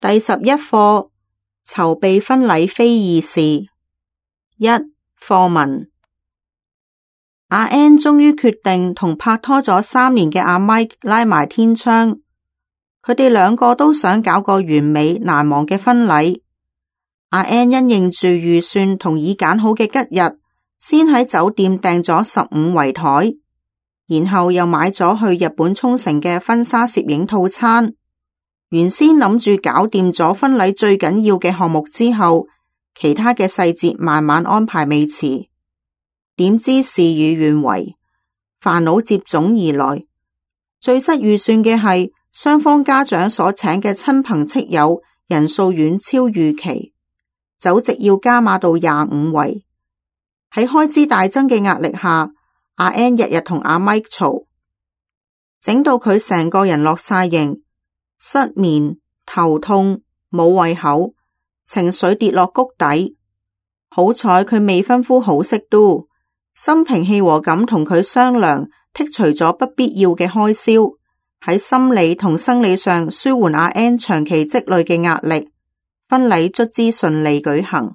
第11課，籌備婚禮非易事。一、課文。阿 Ann 終於決定同拍拖咗3年嘅阿 Mike 拉埋天窗，佢哋兩個都想搞個完美難忘嘅婚禮。阿 Ann 因應住預算同已揀好嘅吉日，先喺酒店訂咗15圍台，然後又買咗去日本沖繩嘅婚紗攝影套餐。原先諗住搞掂咗婚禮最緊要嘅項目之後，其他嘅細節慢慢安排未遲。點知事與願違，煩惱接踵而來。最失預算嘅係雙方家長所請嘅親朋戚友人數遠超預期，酒席要加碼到25圍。喺開支大增嘅壓力下，阿 Ann 日日同阿 Mike 嘈，整到佢成個人落晒形，失眠、頭痛、冇胃口，情緒跌落谷底。好彩佢未婚夫好識 do， 心平氣和咁同佢商量，剔除咗不必要嘅開銷，喺心理同生理上舒緩阿 Ann 長期積累嘅壓力，婚禮卒之順利舉行。